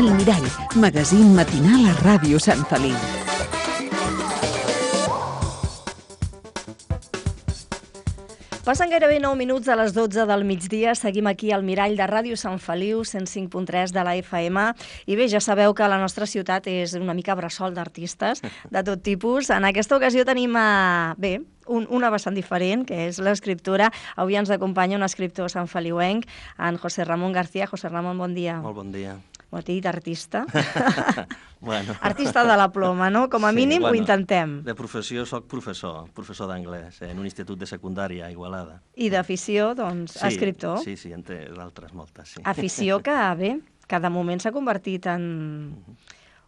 El Mirall, magazín matinal a Ràdio Sant Feliu. Passen gairebé 9 minuts a les 12 del migdia. Seguim aquí al Mirall de Ràdio Sant Feliu, 105.3 de la FM. I bé, ja sabeu que la nostra ciutat és una mica bressol d'artistes de tot tipus. En aquesta ocasió tenim, una vessant diferent, que és l'escriptura. Avui ens acompanya un escriptor santfeliuenc, en José Ramón García. José Ramón, bon dia. Molt bon dia. Ho t'he dit artista. Bueno. Artista de la ploma, no? Com a mínim ho intentem. De professió soc professor d'anglès en un institut de secundària a Igualada. I d'afició, doncs, escriptor. Sí, entre d'altres moltes, sí. Afició que, bé, que de moment s'ha convertit en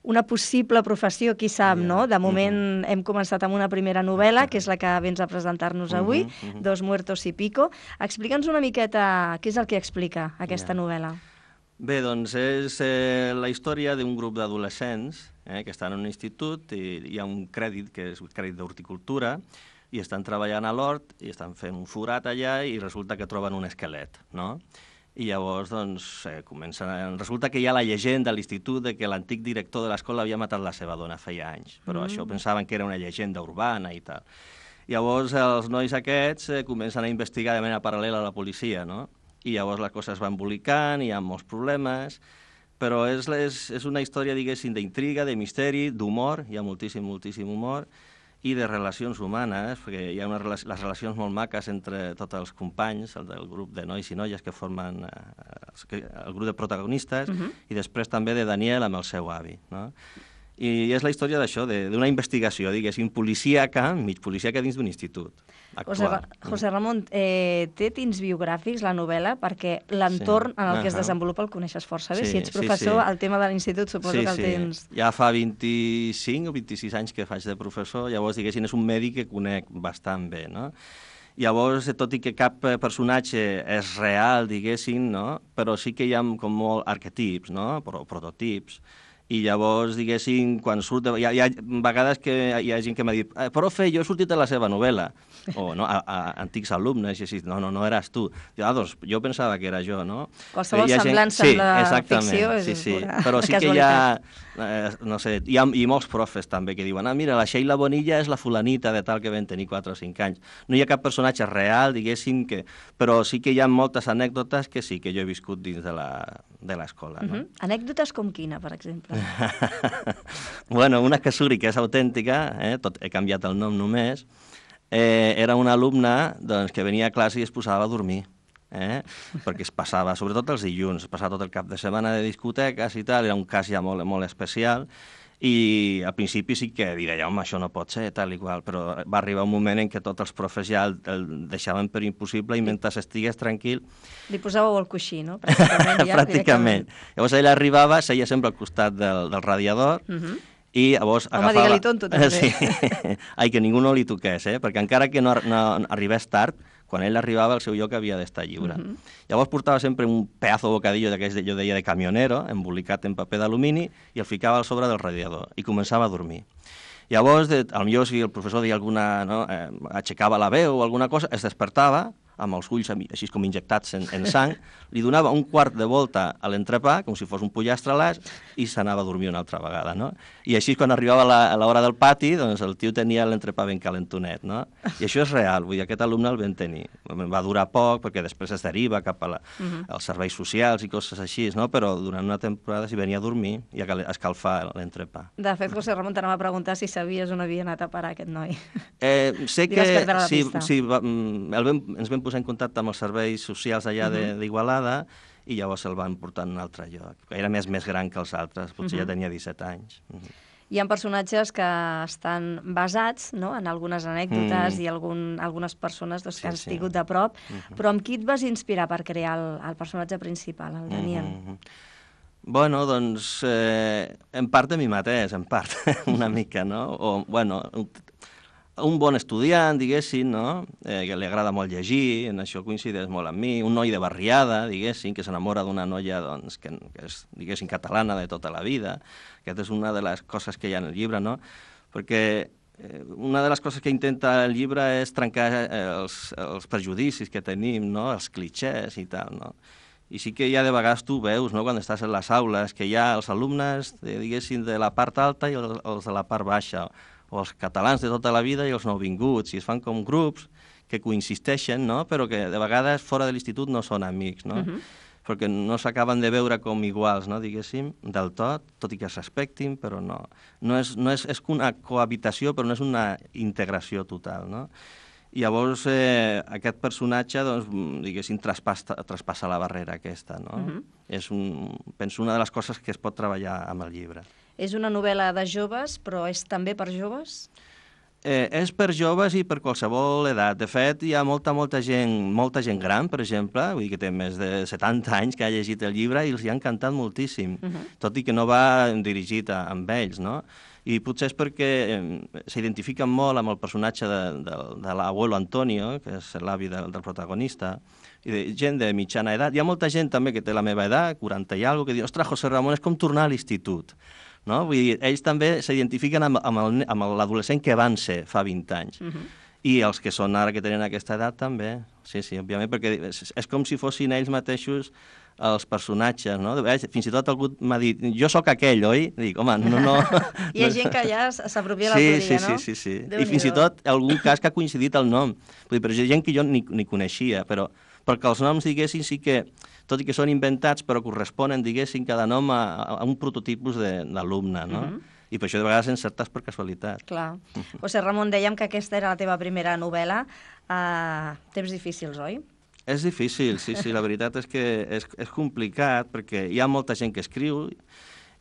una possible professió, qui sap, no? De moment hem començat amb una primera novel·la, que és la que vens a presentar-nos avui, Dos muertos y pico. Explica'ns una miqueta què és el que explica aquesta novel·la. Bé, doncs és la història d'un grup d'adolescents que estan en un institut i hi ha un crèdit, que és un crèdit d'horticultura, i estan treballant a l'hort i estan fent un forat allà i resulta que troben un esquelet, no? I llavors, doncs, resulta que hi ha la llegenda a l'institut de que l'antic director de l'escola havia matat la seva dona feia anys, però això pensaven que era una llegenda urbana i tal. Llavors, els nois aquests comencen a investigar de manera paral·lela a la policia, no? I llavors les coses van embolicant, hi ha molts problemes, però és una història, diguéssim, d'intriga, de misteri, d'humor, hi ha moltíssim humor, i de relacions humanes, perquè hi ha les relacions molt maques entre tots els companys, el del grup de nois i noies que formen el grup de protagonistes, i després també de Daniel amb el seu avi, no? I és la història d'això, d'una investigació, diguéssim, policíaca, mig policíaca dins d'un institut actual. José Ramón, té tints biogràfics la novel·la? Perquè l'entorn en el que es desenvolupa el coneixes força bé. Si ets professor, el tema de l'institut suposo que el tens... Ja fa 25 o 26 anys que faig de professor, llavors, diguéssim, és un medi que conec bastant bé, no? Llavors, tot i que cap personatge és real, diguéssim, no? Però sí que hi ha com molt arquetips, no? Prototips. I llavors, diguéssim, quan surt... Hi ha vegades que hi ha gent que m'ha dit «Profe, jo he sortit de la seva novel·la», o no, a antics alumnes, i així, no eres tu. Doncs jo pensava que era jo, no? Qualsevol semblança amb la ficció és pura. Però sí que hi ha, no sé, hi ha molts profes també que diuen mira, la Sheila Bonilla és la fulanita de tal que vam tenir 4 o 5 anys. No hi ha cap personatge real, diguéssim, però sí que hi ha moltes anècdotes que sí que jo he viscut dins de l'escola. Anècdotes com quina, per exemple? Bueno, una que suri, que és autèntica, he canviat el nom només, era una alumna que venia a classe i es posava a dormir, perquè es passava, sobretot els dilluns, es passava tot el cap de setmana de discoteques i tal, era un cas ja molt especial, i al principi sí que deia, home, això no pot ser, tal i qual, però va arribar un moment en què tots els profes ja el deixaven per impossible i mentre estigués tranquil... Li posàveu el coixí, no? Pràcticament. Llavors ella arribava, seia sempre al costat del radiador, i llavors agafava... Home, digue-li tonto, també. Sí. Ai, que ningú no li toqués, perquè encara que no arribés tard, quan ell arribava el seu lloc havia d'estar lliure. Llavors portava sempre un pedazo bocadillo d'aquest, jo deia, de camionero, embolicat en paper d'alumini, i el ficava al sobre del radiador, i començava a dormir. Llavors, potser si el professor deia alguna... aixecava la veu o alguna cosa, es despertava, amb els ulls així com injectats en sang, li donava un quart de volta a l'entrepà, com si fos un pollastre a l'as, i s'anava a dormir una altra vegada, no? I així, quan arribava a l'hora del pati, doncs el tio tenia l'entrepà ben calentonet, no? I això és real, vull dir, aquest alumne el vam tenir. Va durar poc, perquè després es deriva cap als serveis socials i coses així, no? Però durant una temporada s'hi venia a dormir i a escalfar l'entrepà. De fet, José Ramón, t'anava a preguntar si sabies on havia anat a parar aquest noi. Sé que ens vam posar en contacte amb els serveis socials allà d'Igualada i llavors el van portar en un altre lloc. Era més gran que els altres, potser ja tenia 17 anys. Hi ha personatges que estan basats en algunes anècdotes i algunes persones que has tingut de prop, però amb qui et vas inspirar per crear el personatge principal, el Daniel? Bueno, doncs, en part de mi mateix, en part, una mica, no? O, bueno, un bon estudiant, diguéssim, no? Que li agrada molt llegir, en això coincideix molt amb mi, un noi de barriada, diguéssim, que s'enamora d'una noia doncs, que és, diguéssim, catalana de tota la vida. Aquesta és una de les coses que hi ha en el llibre, no? Perquè una de les coses que intenta el llibre és trencar els prejudicis que tenim, no? Els clixés i tal, no? I sí que ja de vegades tu veus, no?, quan estàs en les aules, que hi ha els alumnes, diguéssim, de la part alta i els de la part baixa, o els catalans de tota la vida i els nouvinguts, i es fan com grups que coinsisteixen, no?, però que de vegades fora de l'institut no són amics, no?, perquè no s'acaben de veure com iguals, no?, diguéssim, del tot i que es respectin, però no. És una cohabitació, però no és una integració total, no? I llavors aquest personatge, doncs, diguéssim, traspassa la barrera aquesta, no? És, penso, una de les coses que es pot treballar amb el llibre. És una novel·la de joves, però és també per joves? És per joves i per qualsevol edat. De fet, hi ha molta gent gran, per exemple, vull dir que té més de 70 anys que ha llegit el llibre i els hi ha encantat moltíssim, tot i que no va dirigit amb ells, no? I potser és perquè s'identifiquen molt amb el personatge de l'abuelo Antonio, que és l'avi del protagonista, i de gent de mitjana edat. Hi ha molta gent també que té la meva edat, 40 i alguna cosa, que diu, ostres, José Ramón, és com tornar a l'institut. No? Vull dir, ells també s'identifiquen amb l'adolescent que van ser fa 20 anys. I els que són ara que tenen aquesta edat també. Sí, òbviament, perquè és com si fossin ells mateixos els personatges, no? Fins i tot algú m'ha dit, jo sóc aquell, oi? Dic, home, no... Hi ha gent que ja s'apropia l'autoria, no? Sí. I fins i tot algun cas que ha coincidit el nom. Però hi ha gent que jo ni coneixia, però perquè els noms, diguéssim, sí que, tot i que són inventats, però corresponen, diguéssim, cada nom a un prototipus d'alumne, no? I per això de vegades encertes per casualitat. Clar. José Ramón, dèiem que aquesta era la teva primera novel·la. Temps difícils, oi? És difícil, sí, la veritat és que és complicat, perquè hi ha molta gent que escriu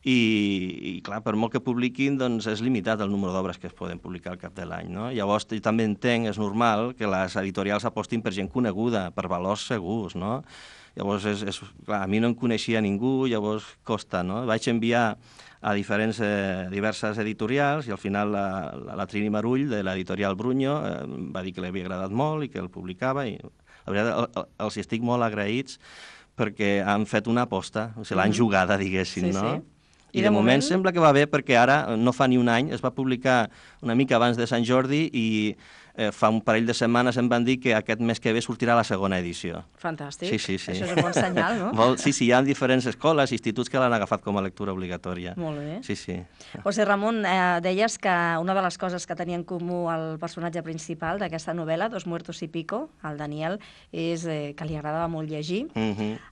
i clar, per molt que publiquin, doncs és limitat el número d'obres que es poden publicar al cap de l'any, no? Llavors, jo també entenc, és normal, que les editorials apostin per gent coneguda, per valors segurs, no? Llavors, clar, a mi no em coneixia ningú, llavors costa, no? Vaig enviar a diverses editorials i al final la Trini Marull, de l'editorial Brunyo, va dir que li havia agradat molt i que el publicava i la veritat els estic molt agraïts perquè han fet una aposta, o sigui, l'han jugada, diguéssim, no? I de moment sembla que va bé perquè ara, no fa ni un any, es va publicar una mica abans de Sant Jordi i fa un parell de setmanes em van dir que aquest mes que ve sortirà la segona edició. Fantàstic. Sí. Això és un bon senyal, no? Sí, hi ha diferents escoles, instituts que l'han agafat com a lectura obligatòria. Molt bé. Sí. José Ramón, deies que una de les coses que tenia en comú el personatge principal d'aquesta novel·la, Dos muertos y pico, el Daniel, és que li agradava molt llegir.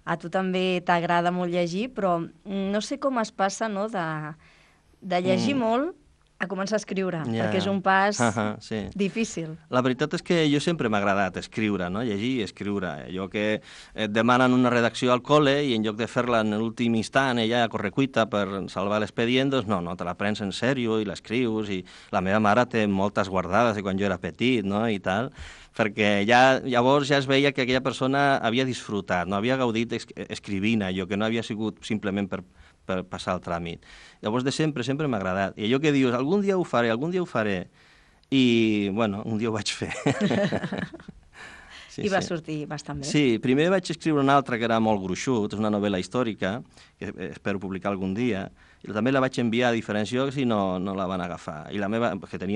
A tu també t'agrada molt llegir, però no sé com es passa, no?, de llegir molt a començar a escriure, perquè és un pas difícil. La veritat és que jo sempre m'ha agradat escriure, no? Llegir i escriure. Allò que et demanen una redacció al col·le i en lloc de fer-la en l'últim instant, ja a correcuita per salvar l'expedient, doncs no, te la prens en sèrio i l'escrius, i la meva mare té moltes guardades de quan jo era petit, no?, i tal, perquè llavors ja es veia que aquella persona havia disfrutat, no havia gaudit escrivint allò, que no havia sigut simplement per passar el tràmit. Llavors, de sempre m'ha agradat. I allò que dius, algun dia ho faré. I, bueno, un dia ho vaig fer. I va sortir bastant bé. Sí, primer vaig escriure una altra que era molt gruixut, és una novel·la històrica, que espero publicar algun dia, i també la vaig enviar a diferents llocs i no la van agafar. I la meva, que té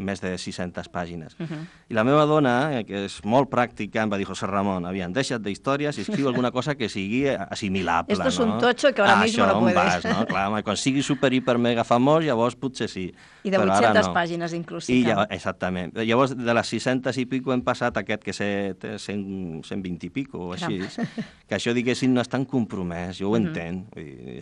més de 600 pàgines. I la meva dona, que és molt pràctica, em va dir, José Ramón, deixa't d'històries i escriu alguna cosa que sigui assimilable. Esto es un tocho que ahora mismo no puedes. Això, on vas, no? Clar, quan sigui super, hiper, mega famós, llavors potser sí. I de 800 pàgines, inclusive. Exactament. Llavors, de les 600 i pico hem passat aquest que té 120 i pico, o així. Que això, diguéssim, no és tan compromès, jo ho entenc.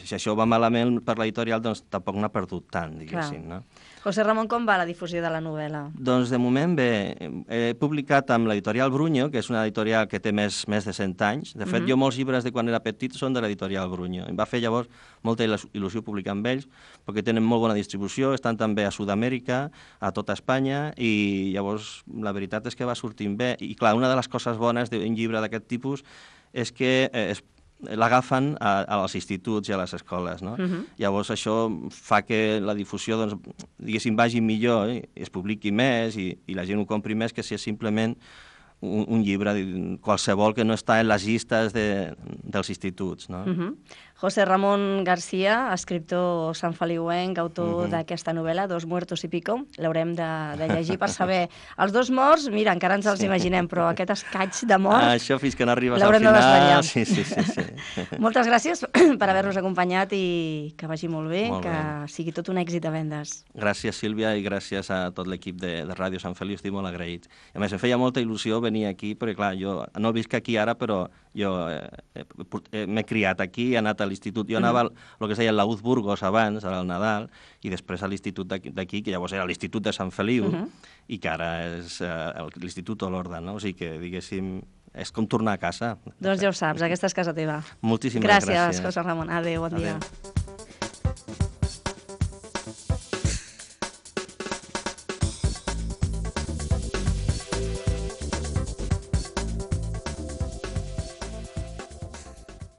Si això va malament per l'editorial, doncs tampoc n'ha perdut tant, diguéssim, no? José Ramón, com va la difusió de la novel·la? Doncs de moment bé. He publicat amb l'editorial Brunyo, que és una editorial que té més de 100 anys. De fet, jo molts llibres de quan era petit són de l'editorial Brunyo. Em va fer llavors molta il·lusió publicar amb ells, perquè tenen molt bona distribució, estan també a Sud-amèrica, a tota Espanya, i llavors la veritat és que va sortint bé. I clar, una de les coses bones d'un llibre d'aquest tipus és que l'agafen als instituts i a les escoles, no? Llavors això fa que la difusió, doncs, diguéssim, vagi millor, es publiqui més i la gent ho compri més que si és simplement un llibre qualsevol que no està en les llistes dels instituts, no? José Ramón García, escriptor sanfeliuenc, autor d'aquesta novel·la, Dos muertos y pico. L'haurem de llegir per saber. Els dos morts, mira, encara ens els imaginem, però aquest escaig de mort... Això fins que no arribes al l'haurem de final... desvetllar. Sí. Moltes gràcies per haver-nos acompanyat i que vagi molt bé, que sigui tot un èxit a vendes. Gràcies, Sílvia, i gràcies a tot l'equip de Ràdio Sant Feliu, estic molt agraït. A més, em feia molta il·lusió venir aquí, perquè clar, jo no visc aquí ara, però jo m'he criat aquí, he anat a l'institut. Jo anava al que es deia l'Auz Burgos abans, al Nadal, i després a l'institut d'aquí, que llavors era l'Institut de Sant Feliu, i que ara és l'Institut Olorda, no? O sigui que, diguéssim, és com tornar a casa. Doncs ja ho saps, aquesta és casa teva. Moltíssimes gràcies. Gràcies, José Ramon. Adéu, bon dia.